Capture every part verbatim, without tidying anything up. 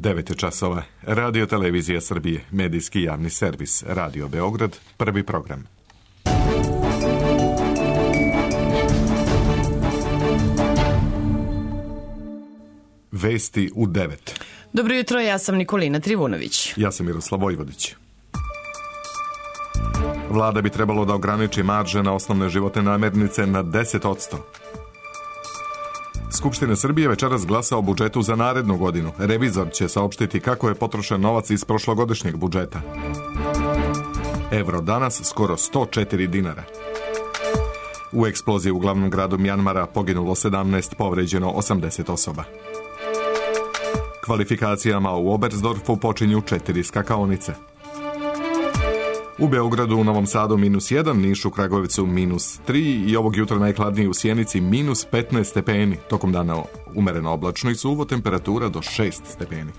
devet časova. Radio Televizija Srbije, medijski javni servis, Radio Beograd, prvi program. Vesti u devet. Dobro jutro, ja sam Nikolina Trivunović. Ja sam Miroslav Vojvodić. Vlada bi trebalo da ograniči marže na osnovne životne namirnice na deset posto. Skupština Srbije večeras glasa o budžetu za narednu godinu. Revizor će saopštiti kako je potrošen novac iz prošlogodišnjeg budžeta. Evro danas skoro sto četiri dinara. U eksploziji u glavnom gradu Mjanmara poginulo sedamnaest, povređeno osamdeset osoba. Kvalifikacijama u Oberstdorfu počinju četiri skakaonice. U Beogradu, u Novom Sadu minus jedan, Nišu, Kragujevcu minus tri i ovog jutra najhladniji u Sjenici minus petnaest stepeni. Tokom dana umereno oblačno i suvo, temperatura do šest stepeni.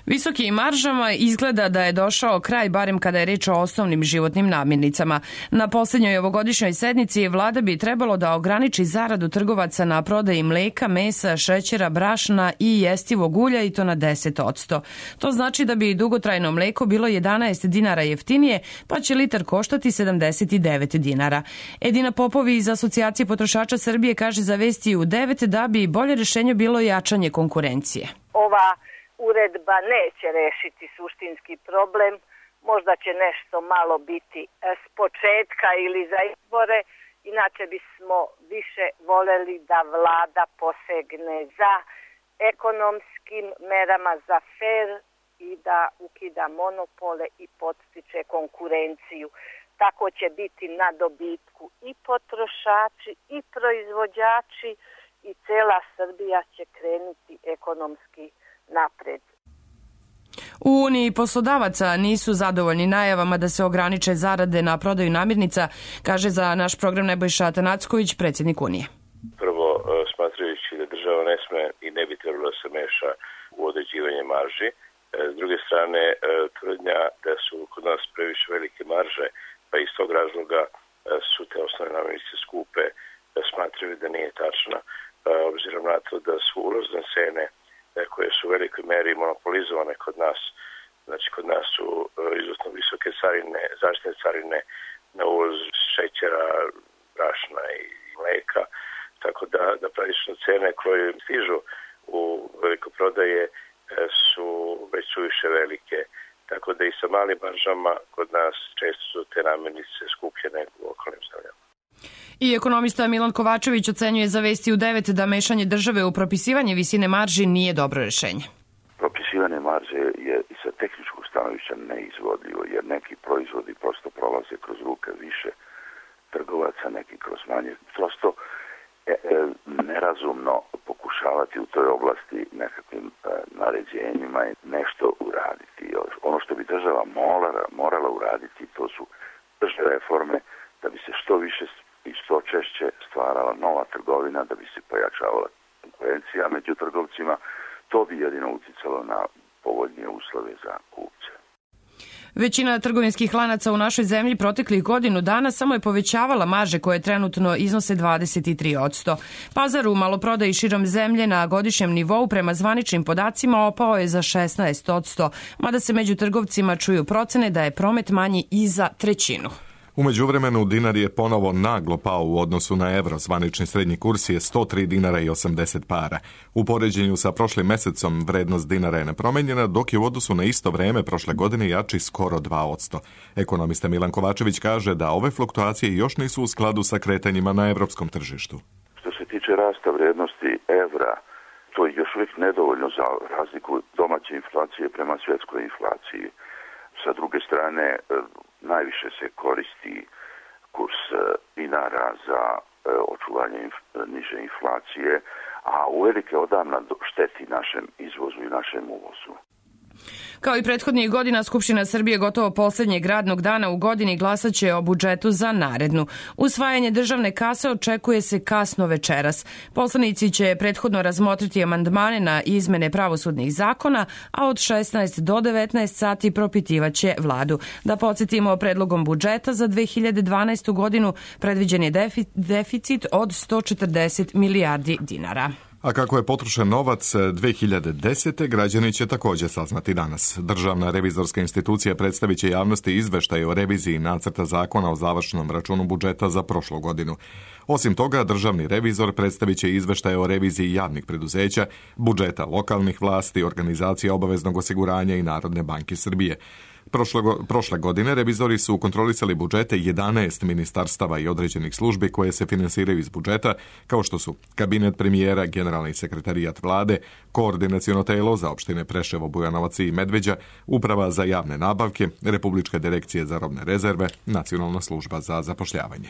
Visokim maržama izgleda da je došao kraj, barem kada je reč o osnovnim životnim namirnicama. Na posljednjoj ovogodišnjoj sednici vlada bi trebalo da ograniči zaradu trgovaca na prodaji mleka, mesa, šećera, brašna i jestivog ulja i to na deset posto. To znači da bi dugotrajno mleko bilo jedanaest dinara jeftinije, pa će litar koštati sedamdeset devet dinara. Edina Popovi iz Asocijacije potrošača Srbije kaže za Vesti u devet da bi bolje rješenje bilo jačanje konkurencije. Ova uredba neće rešiti suštinski problem, možda će nešto malo biti s početka ili za izbore, inače bismo više voleli da vlada posegne za ekonomskim merama, za fer i da ukida monopole i podstiče konkurenciju. Tako će biti na dobitku i potrošači i proizvođači i cela Srbija će krenuti ekonomski napred. U Uniji poslodavaca nisu zadovoljni najavama da se ograniče zarade na prodaju namirnica, kaže za naš program Nebojša Atanacković, predsjednik Unije. Prvo, smatrajući da država ne sme i ne bi trebalo da se meša u određivanje marži. S druge strane, tvrdnja da su kod nas previše velike marže, pa iz tog razloga su te osnovne namirnice skupe, smatraju da nije tačna, obzirom na to da su ulazne cene koje su u velikoj meri monopolizovane kod nas. Znači, kod nas su izuzetno visoke carine, zaštitne carine na uvoz šećera, brašna i mleka, tako da, da praktično cene koje stižu u velikoprodaje su već suviše velike, tako da i sa malim maržama kod nas često su te namirnice skuplje nego u okolnim zemljama. I ekonomista Milan Kovačević ocenjuje za Vesti u devet da mešanje države u propisivanje visine marži nije dobro rješenje. Propisivanje marže je i sa tehničkog stanovišta neizvodljivo, jer neki proizvodi prosto prolaze kroz ruke više trgovaca, neki kroz manje. Prosto e, e, nerazumno pokušavati u toj oblasti nekakvim e, naređenjima nešto uraditi. Ono što bi država morala, morala uraditi, to su tržne reforme, da bi se što više i što češće stvarala nova trgovina, da bi se pojačavala konkurencija među trgovcima. To bi jedino uticalo na povoljnije uslove za kupce. Većina trgovinskih lanaca u našoj zemlji proteklih godinu dana samo je povećavala marže koje trenutno iznose dvadeset tri posto. Pazar u maloprodaji širom zemlje na godišnjem nivou prema zvaničnim podacima opao je za šesnaest posto, mada se među trgovcima čuju procene da je promet manji i za trećinu. U međuvremenu dinar je ponovo naglo pao u odnosu na evro. Zvanični srednji kurs je sto tri dinara i osamdeset para. U poređenju sa prošlim mesecom vrednost dinara je nepromenjena, dok je u odnosu na isto vreme prošle godine jači skoro dva posto. Ekonomista Milan Kovačević kaže da ove fluktuacije još nisu u skladu sa kretanjima na evropskom tržištu. Što se tiče rasta vrednosti evra, to je još uvijek nedovoljno za razliku domaće inflacije prema svjetskoj inflaciji. Sa druge strane, najviše se koristi kurs dinara za očuvanje niže inflacije, a uvelike odavna šteti našem izvozu i našem uvozu. Kao i prethodnih godina, Skupština Srbije gotovo posljednjeg radnog dana u godini glasat će o budžetu za narednu. Usvajanje državne kase očekuje se kasno večeras. Poslanici će prethodno razmotriti amandmane na izmene pravosudnih zakona, a od šesnaest do devetnaest sati propitivaće vladu. Da podsjetimo, predlogom budžeta za dve hiljade dvanaestu godinu predviđen je deficit od sto četrdeset milijardi dinara. A kako je potrošen novac dve hiljade desete. građani će također saznati danas. Državna revizorska institucija predstavit će javnosti izveštaj o reviziji nacrta zakona o završnom računu budžeta za prošlu godinu. Osim toga, državni revizor predstavit će izveštaj o reviziji javnih preduzeća, budžeta lokalnih vlasti, organizacija obaveznog osiguranja i Narodne banke Srbije. Prošle, prošle godine revizori su kontrolisali budžete jedanaest ministarstava i određenih službi koje se finansiraju iz budžeta, kao što su kabinet premijera, generalni sekretarijat vlade, koordinaciono telo za opštine Preševo, Bujanovac i Medveđa, uprava za javne nabavke, Republička direkcija za robne rezerve, Nacionalna služba za zapošljavanje.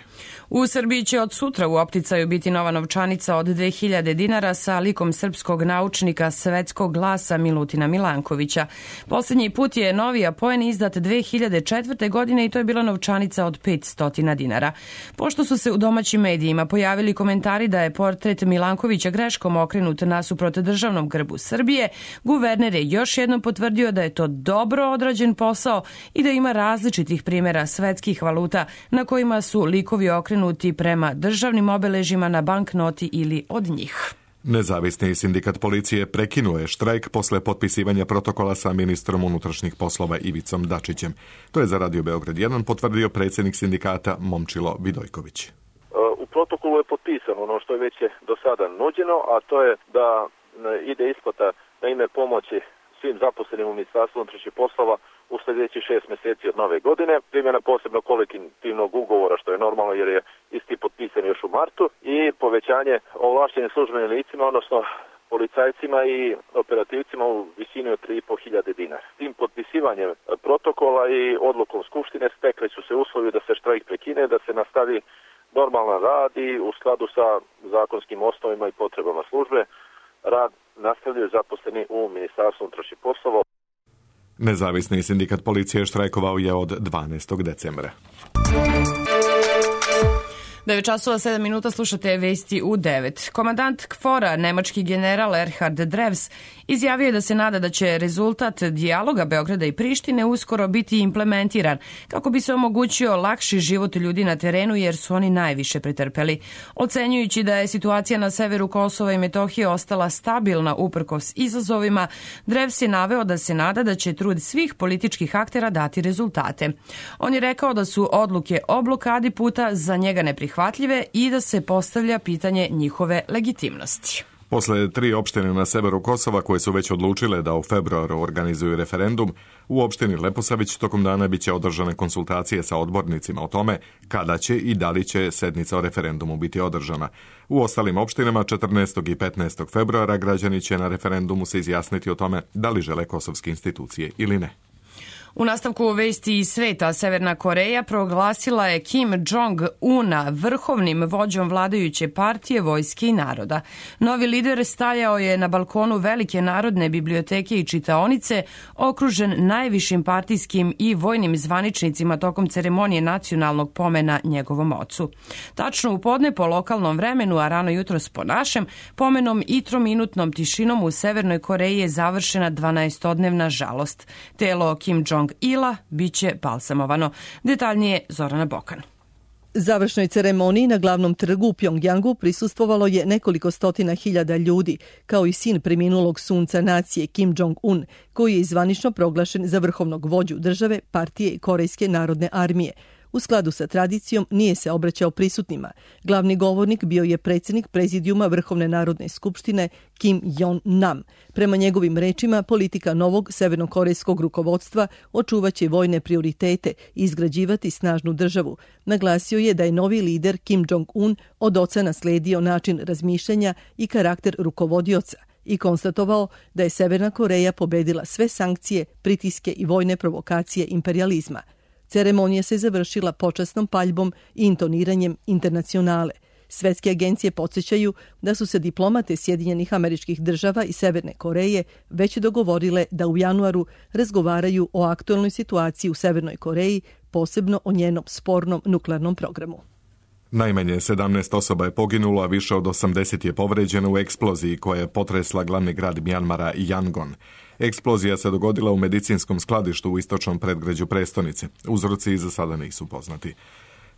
U Srbiji će od sutra u opticaju biti nova novčanica od dve hiljade dinara sa likom srpskog naučnika svetskog glasa Milutina Milankovića. Posljednji put je novi apoen izdat dve hiljade četvrte. godine i to je bila novčanica od petsto dinara. Pošto su se u domaćim medijima pojavili komentari da je portret Milankovića greškom okrenut nasuprot državnom grbu Srbije, guverner je još jednom potvrdio da je to dobro odrađen posao i da ima različitih primjera svetskih valuta na kojima su likovi okrenuti prema državnim obeležjima na banknoti ili od njih. Nezavisni sindikat policije prekinuo je štrajk posle potpisivanja protokola sa ministrom unutrašnjih poslova Ivicom Dačićem. To je za Radio Beograd jedan potvrdio predsjednik sindikata Momčilo Vidojković. U protokolu je potpisano ono što je već do sada nuđeno, a to je da ide isplata na ime pomoći svim zaposlenim u Ministarstvu unutrašnjih poslova u sljedećih šest mjeseci od nove godine, primjena posebno kolektivnog ugovora, što je normalno jer je isti potpisan još u martu, i povećanje ovlaštenim službenim licima, odnosno policajcima i operativcima u visini od tri i po hiljade dinara. Tim potpisivanjem protokola i odlukom Skupštine stekli su se uslovi da se štrajk prekine, da se nastavi normalan rad i u skladu sa zakonskim osnovima i potrebama službe rad nastavljaju zaposleni u Ministarstvu unutrašnjih poslova. Nezavisni sindikat policije štrajkovao je od dvanaestog decembra. devet časova sedam minuta, slušate vesti u devet. Komandant KFOR-a, nemački general Erhard Drevs, izjavio je da se nada da će rezultat dijaloga Beograda i Prištine uskoro biti implementiran kako bi se omogućio lakši život ljudi na terenu jer su oni najviše pretrpeli. Ocenjujući da je situacija na severu Kosova i Metohije ostala stabilna uprkos izazovima, Drevs je naveo da se nada da će trud svih političkih aktera dati rezultate. On je rekao da su odluke o blokadi puta za njega neprihvatljive i da se postavlja pitanje njihove legitimnosti. Posle tri opštine na severu Kosova koje su već odlučile da u februaru organizuju referendum, u opštini Leposavić tokom dana biće održane konsultacije sa odbornicima o tome kada će i da li će sednica o referendumu biti održana. U ostalim opštinama četrnaestog i petnaestog februara građani će na referendumu se izjasniti o tome da li žele kosovske institucije ili ne. U nastavku vesti iz sveta, Severna Koreja proglasila je Kim Jong-una vrhovnim vođom vladajuće partije, vojske i naroda. Novi lider stajao je na balkonu Velike narodne biblioteke i čitaonice, okružen najvišim partijskim i vojnim zvaničnicima tokom ceremonije nacionalnog pomena njegovom ocu. Tačno u podne po lokalnom vremenu, a rano jutros po našem, pomenom i trominutnom tišinom u Severnoj Koreji je završena dvanaestodnevna žalost. Telo Kim Jong Ila biće balsamovano. Detaljnije Zorana Bokan. Završnoj ceremoniji na glavnom trgu u Pjongjangu prisustvovalo je nekoliko stotina hiljada ljudi, kao i sin preminulog sunca nacije Kim Jong-un, koji je zvanično proglašen za vrhovnog vođu države, partije i Korejske narodne armije. U skladu sa tradicijom nije se obraćao prisutnima. Glavni govornik bio je predsjednik prezidijuma Vrhovne narodne skupštine Kim Jon-nam. Prema njegovim rečima, politika novog severnokorejskog rukovodstva očuvaće vojne prioritete i izgrađivati snažnu državu. Naglasio je da je novi lider Kim Jong-un od oca nasledio način razmišljanja i karakter rukovodioca i konstatovao da je Severna Koreja pobedila sve sankcije, pritiske i vojne provokacije imperializma. Ceremonija se završila počasnom paljbom i intoniranjem internacionale. Svetske agencije podsjećaju da su se diplomate Sjedinjenih Američkih Država i Severne Koreje već dogovorile da u januaru razgovaraju o aktualnoj situaciji u Severnoj Koreji, posebno o njenom spornom nuklearnom programu. Najmanje sedamnaest osoba je poginulo, a više od osamdeset je povređeno u eksploziji koja je potresla glavni grad Mjanmara Yangon. Eksplozija se dogodila u medicinskom skladištu u istočnom predgrađu prestonice. Uzroci za sada nisu poznati.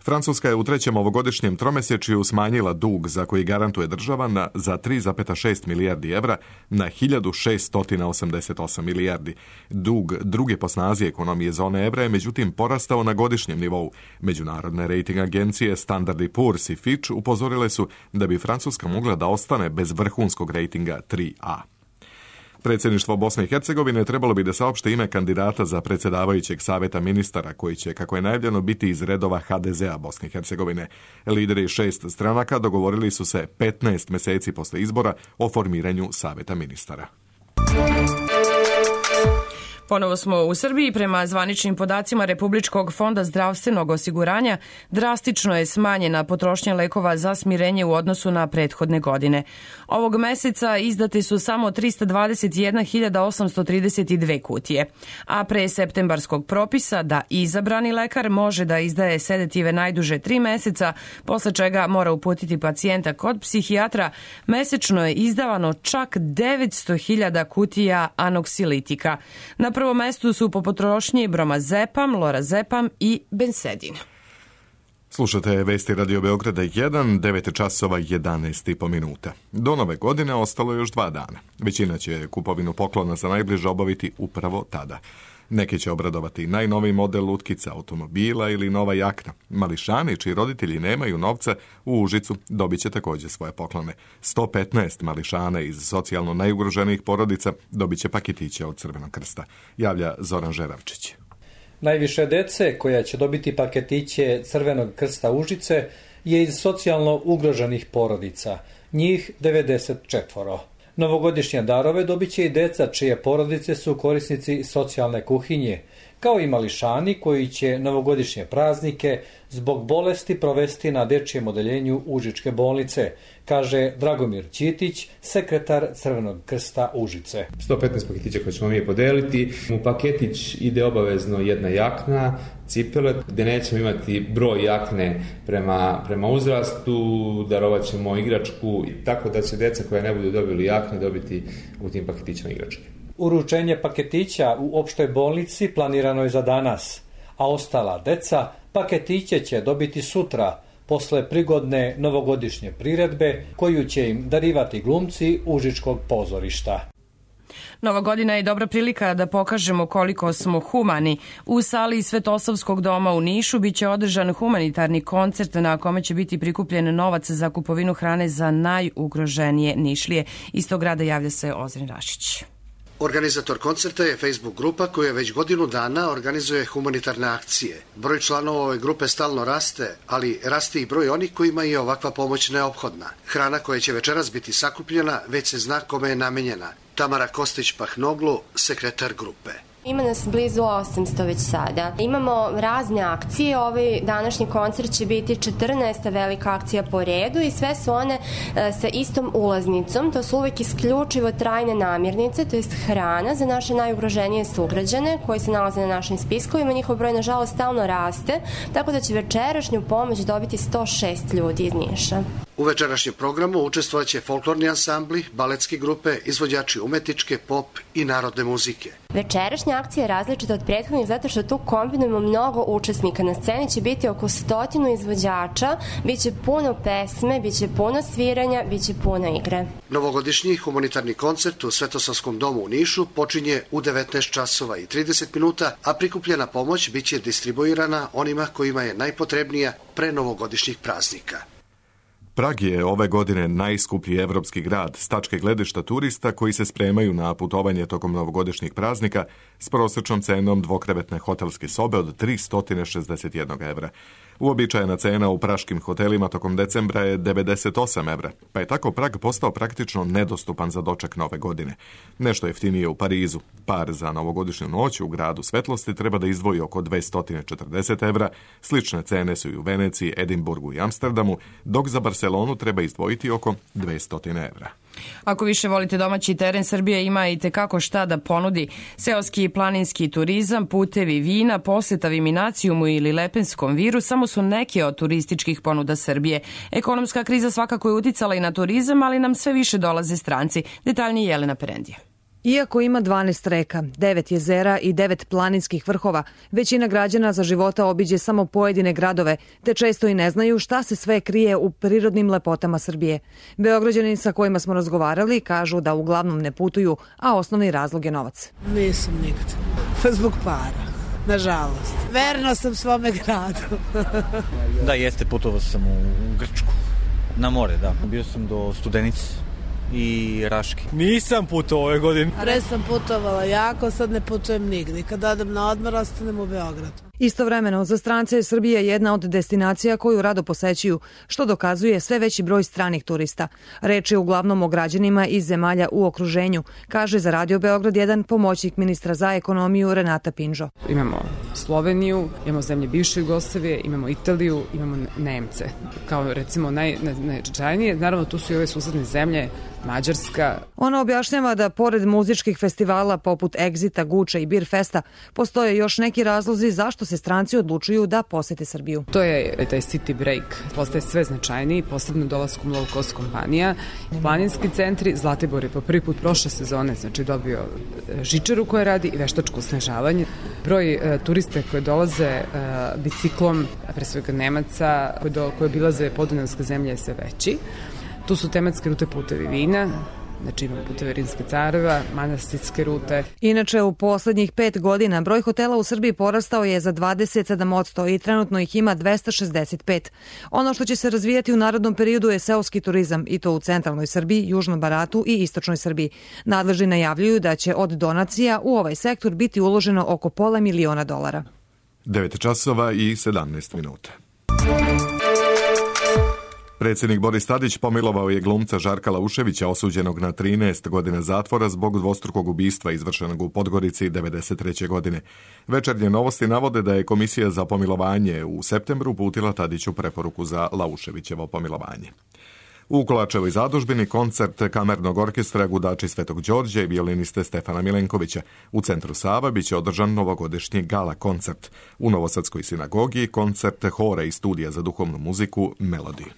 Francuska je u trećem ovogodišnjem tromesečju smanjila dug za koji garantuje država na, za tri zarez šest milijardi evra na hiljadu šeststo osamdeset osam milijardi. Dug druge po snazi ekonomije zone evra je međutim porastao na godišnjem nivou. Međunarodne rating agencije Standard and Poor's i Fitch upozorile su da bi Francuska mogla da ostane bez vrhunskog rejtinga tri A. Predsjedništvo Bosne i Hercegovine trebalo bi da saopšte ime kandidata za predsjedavajućeg savjeta ministara koji će, kako je najavljeno, biti iz redova ha de zea Bosne i Hercegovine. Lideri šest stranaka dogovorili su se petnaest mjeseci posle izbora o formiranju savjeta ministara. Ponovo smo u Srbiji. Prema zvaničnim podacima Republičkog fonda zdravstvenog osiguranja drastično je smanjena potrošnja lekova za smirenje u odnosu na prethodne godine. Ovog meseca izdate su samo trista dvadeset jedna hiljada osamsto trideset dve kutije, a pre septembarskog propisa da izabrani lekar može da izdaje sedative najduže tri meseca, posle čega mora uputiti pacijenta kod psihijatra, mesečno je izdavano čak devetsto hiljada kutija anoksilitika. Na prvom mestu su po potrošnji bromazepam, lorazepam i bensedin. Slušate vesti Radio Beograda jedan, devet časova jedanaest i po minuta. Do nove godine ostalo još dva dana. Većina će kupovinu poklona za najbliže obaviti upravo tada. Neki će obradovati najnoviji model lutkica, automobila ili nova jakna. Mališani čiji roditelji nemaju novca u Užicu dobit će također svoje poklone. sto petnaest mališana iz socijalno najugroženijih porodica dobit će paketiće od Crvenog krsta. Javlja Zoran Žeravčić. Najviše dece koja će dobiti paketiće Crvenog krsta Užice je iz socijalno ugroženih porodica, njih devedeset četvoro. Novogodišnje darove dobit će i deca čije porodice su korisnici socijalne kuhinje, kao i mališani koji će novogodišnje praznike zbog bolesti provesti na dečijem odeljenju Užičke bolnice, kaže Dragomir Ćitić, sekretar Crvenog krsta Užice. sto petnaest paketića koje ćemo mi podeliti. U paketić ide obavezno jedna jakna, cipele, gde nećemo imati broj jakne prema, prema uzrastu, darovat ćemo igračku, tako da će deca koja ne budu dobili jakne dobiti u tim paketićima igračke. Uručenje paketića u opštoj bolnici planirano je za danas, a ostala deca paketiće će dobiti sutra, posle prigodne novogodišnje priredbe koju će im darivati glumci Užičkog pozorišta. Nova godina je dobra prilika da pokažemo koliko smo humani. U sali Svetosavskog doma u Nišu biće održan humanitarni koncert na kome će biti prikupljen novac za kupovinu hrane za najugroženije Nišlije. Iz tog grada javlja se Ozren Rašić. Organizator koncerta je Facebook grupa koja već godinu dana organizuje humanitarne akcije. Broj članova ove grupe stalno raste, ali raste i broj onih kojima je ovakva pomoć neophodna. Hrana koja će večeras biti sakupljena već se zna kome je namenjena. Tamara Kostić-Pahnoglu, sekretar grupe. Ima nas blizu osamsto već sada. Imamo razne akcije. Ovaj današnji koncert će biti četrnaesta velika akcija po redu i sve su one e, sa istom ulaznicom. To su uvek isključivo trajne namirnice, to jest hrana za naše najugroženije sugrađane koji se nalaze na našim spiskovima. Njihov broj nažalost stalno raste, tako da će večerašnju pomoć dobiti sto šest ljudi iz Niša. U večerašnjem programu učestvovaće folklorni ansambli, baletske grupe, izvođači umetničke, pop i narodne muzike. Večerašnja akcija je različita od prethodnih zato što tu kombinujemo mnogo učesnika. Na sceni će biti oko stotinu izvođača, bit će puno pesme, bit će puno sviranja, bit će puno igre. Novogodišnji humanitarni koncert u Svetosavskom domu u Nišu počinje u devetnaest časova i trideset minuta, a prikupljena pomoć bit će distribuirana onima kojima je najpotrebnija pre novogodišnjih praznika. Prag je ove godine najskuplji evropski grad s tačke gledišta turista koji se spremaju na putovanje tokom novogodišnjih praznika s prosječnom cenom dvokrevetne hotelske sobe od tristo šezdeset jedan evra. Uobičajena cena u praškim hotelima tokom decembra je devedeset osam evra, pa je tako Prag postao praktično nedostupan za doček nove godine. Nešto jeftinije u Parizu. Par za novogodišnju noć u gradu svetlosti treba da izdvoji oko dvesta četrdeset evra, slične cene su i u Veneciji, Edinburgu i Amsterdamu, dok za Barcelonu treba izdvojiti oko dvesta evra. Ako više volite domaći teren, Srbija ima i tekako šta da ponudi. Seoski i planinski turizam, putevi vina, posjeta Viminacijumu ili Lepenskom viru samo su neke od turističkih ponuda Srbije. Ekonomska kriza svakako je uticala i na turizam, ali nam sve više dolaze stranci. Detaljnije Jelena Perendija. Iako ima dvanaest reka, devet jezera i devet planinskih vrhova, većina građana za života obiđe samo pojedine gradove, te često i ne znaju šta se sve krije u prirodnim lepotama Srbije. Beograđani sa kojima smo razgovarali kažu da uglavnom ne putuju, a osnovni razlog je novac. Nisam nikad. Zbog para, nažalost. Verna sam svome gradu. Da, jeste, putovao sam u Grčku. Na more, da. Bio sam do Studenice i Raške. Nisam putovao ove godine. Pre sam putovala jako, sad ne putujem nigdje. Kad odem na odmor, ostanem u Beogradu. Istovremeno, za strance je Srbija jedna od destinacija koju rado posećuju, što dokazuje sve veći broj stranih turista. Reč je uglavnom o građanima iz zemalja u okruženju, kaže za Radio Beograd jedan pomoćnik ministra za ekonomiju Renata Pinžo. Imamo Sloveniju, imamo zemlje bivše Jugoslavije, imamo Italiju, imamo Nemce. Kao recimo naj, najčajnije, naravno tu su i ove susedne zemlje, Mađarska. Ona objašnjava da pored muzičkih festivala poput Exita, Guča i Beer Festa postoje još neki razlozi zašto se stranci odlučuju da posete Srbiju. To je taj city break, postaje sve značajniji, posebno dolaskom low cost kompanija. Planinski centri, Zlatibor je po prvi put prošle sezone, znači dobio žičaru koja radi i veštačko snežavanje. Broj e, turiste koji dolaze e, biciklom, pre svega Nemaca, koji, do, koji obilaze podunavske zemlje je sve veći. Tu su tematske rute putevi vina, znači imamo puteve Rimske careva, manastirske rute. Inače, u poslednjih pet godina broj hotela u Srbiji porastao je za dvadeset sedam posto i trenutno ih ima dvesta šezdeset pet. Ono što će se razvijati u narodnom periodu je seoski turizam, i to u centralnoj Srbiji, južnom Baratu i istočnoj Srbiji. Nadležni najavljuju da će od donacija u ovaj sektor biti uloženo oko pola miliona dolara. devet časova i sedamnaest minuta. Predsjednik Boris Tadić pomilovao je glumca Žarka Lauševića, osuđenog na trinaest godina zatvora zbog dvostrukog ubistva izvršenog u Podgorici devedeset treće godine. Večernje novosti navode da je Komisija za pomilovanje u septembru uputila Tadiću preporuku za Lauševićevo pomilovanje. U Kolačevoj zadužbini koncert kamernog orkestra Gudači Svetog Đorđa i violiniste Stefana Milenkovića. U centru Sava biće održan novogodišnji gala koncert. U Novosadskoj sinagogi koncert hora i studija za duhovnu muziku Melodiju.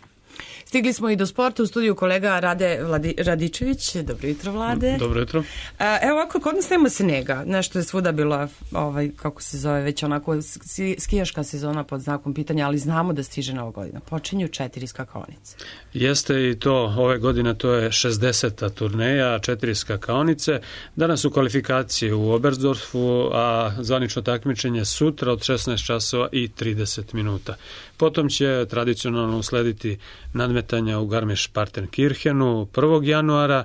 Stigli smo i do sporta, u studiju kolega Rade Vladi, Radičević. Dobro jutro, Vlade. Dobro jutro. Evo ovako, kod nas nema snega. Nešto je svuda bila, ovaj, kako se zove, već onako skijaška sezona pod znakom pitanja, ali znamo da stiže nova godina. Počinju četiri skakaonice. Jeste i to, ove godine to je šezdeseta turneja, četiri skakaonice. Danas su kvalifikacije u Oberstdorfu, a zvanično takmičenje sutra od šesnaest časova i trideset minuta. Potom će tradicionalno uslediti nadmetanja u Garmisch-Partenkirchenu prvog januara,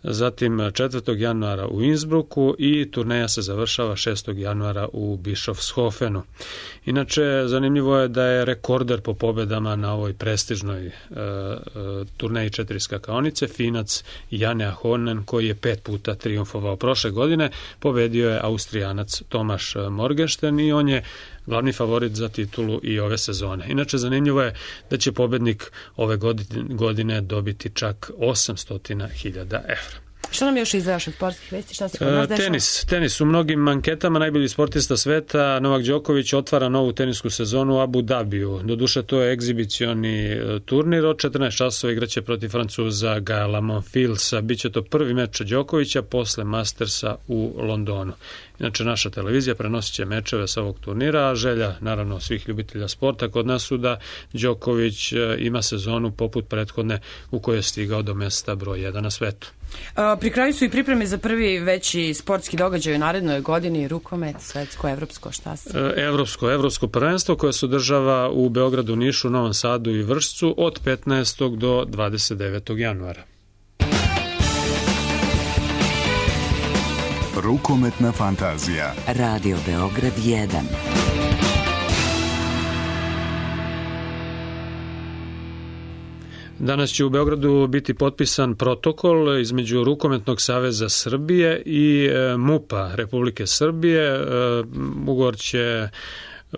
zatim četvrtog januara u Innsbrucku i turneja se završava šestog januara u Bischofshofenu. Inače, zanimljivo je da je rekorder po pobedama na ovoj prestižnoj e, e, turneji četiri skakaonice Finac Jane Ahonen, koji je pet puta triumfovao prošle godine, pobedio je Austrijanac Tomaš Morgenstern i on je glavni favorit za titulu i ove sezone. Inače, zanimljivo je da će pobednik ove godine dobiti čak osamsto hiljada evra. Što nam još izdvajaš od sportskih vesti? Šta se kod nas dešava? Tenis. Tenis u mnogim anketama najbolji sportista sveta Novak Đoković otvara novu tenisku sezonu u Abu Dhabiju. Doduše, to je egzibicioni turnir. Od četrnaest časova igraće protiv Francuza Gaela Monfilsa. Biće to prvi meč Đokovića posle Mastersa u Londonu. Inače, naša televizija prenosit će mečeve sa ovog turnira, a želja, naravno, svih ljubitelja sporta kod nas su da Đoković ima sezonu poput prethodne u kojoj je stigao do mesta broj jedan na svetu. Pri kraju su i pripreme za prvi veći sportski događaj u narednoj godini, rukomet, svetsko, evropsko, šta se? Evropsko, evropsko prvenstvo koje se održava u Beogradu, Nišu, Novom Sadu i Vršcu od petnaestog do dvadeset devetog januara. Rukometna fantazija. Radio Beograd jedan. Danas će u Beogradu biti potpisan protokol između Rukometnog saveza Srbije i MUP-a Republike Srbije. Ugovor će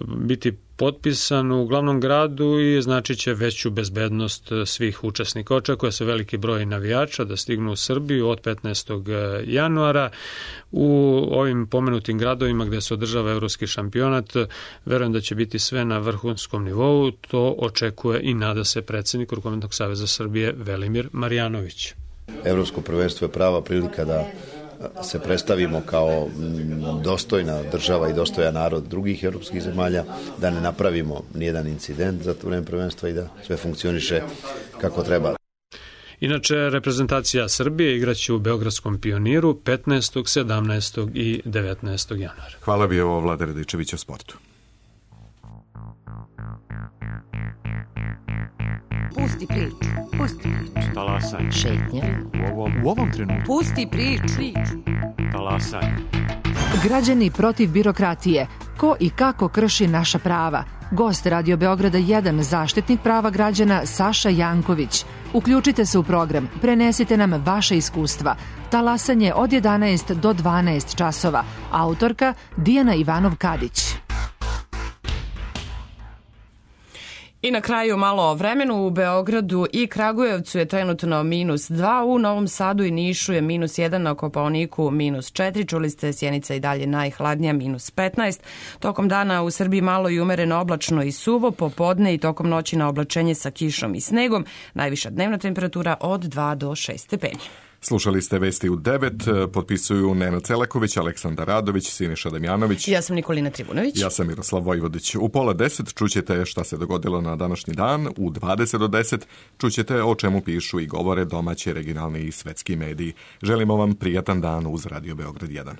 biti potpisan u glavnom gradu i znači će veću bezbednost svih učesnika. Očekuje se veliki broj navijača da stignu u Srbiju od petnaestog januara. U ovim pomenutim gradovima gde se održava evropski šampionat, verujem da će biti sve na vrhunskom nivou. To očekuje i nada se predsjednik Rukometnog saveza Srbije Velimir Marjanović. Evropsko prvenstvo je prava prilika da se predstavimo kao dostojna država i dostojan narod drugih europskih zemalja, da ne napravimo nijedan incident za to vreme prvenstva i da sve funkcioniše kako treba. Inače, reprezentacija Srbije igraće u Beogradskom Pioniru petnaestog, sedamnaestog i devetnaestog januara. Hvala bi ovo Vlada Radičević o sportu. Pusti priču, pusti priču. Talasaj. Šetnje. U ovom, u ovom trenutku. Pusti priču. Talasaj. Građani protiv birokratije. Ko i kako krši naša prava? Gost Radio Beograda jedan, zaštitnik prava građana Saša Janković. Uključite se u program, prenesite nam vaše iskustva. Talasanje od jedanaest do dvanaest časova. Autorka Dijana Ivanov-Kadić. I na kraju malo o vremenu. U Beogradu i Kragujevcu je trenutno minus dva, u Novom Sadu i Nišu je minus jedan, na Kopaoniku minus četiri, čuli ste Sjenica i dalje najhladnija, minus petnaest. Tokom dana u Srbiji malo i umereno oblačno i suvo, popodne i tokom noći na oblačenje sa kišom i snegom, najviša dnevna temperatura od dva do šest stepeni. Slušali ste vesti u devet, potpisuju Nenad Celaković, Aleksandar Radović, Siniša Damjanović. Ja sam Nikolina Tribunović. Ja sam Miroslav Vojvodić. U pola deset čućete šta se dogodilo na današnji dan, u dvadeset do deset čućete o čemu pišu i govore domaći, regionalni i svetski mediji. Želimo vam prijatan dan uz Radio Beograd jedan.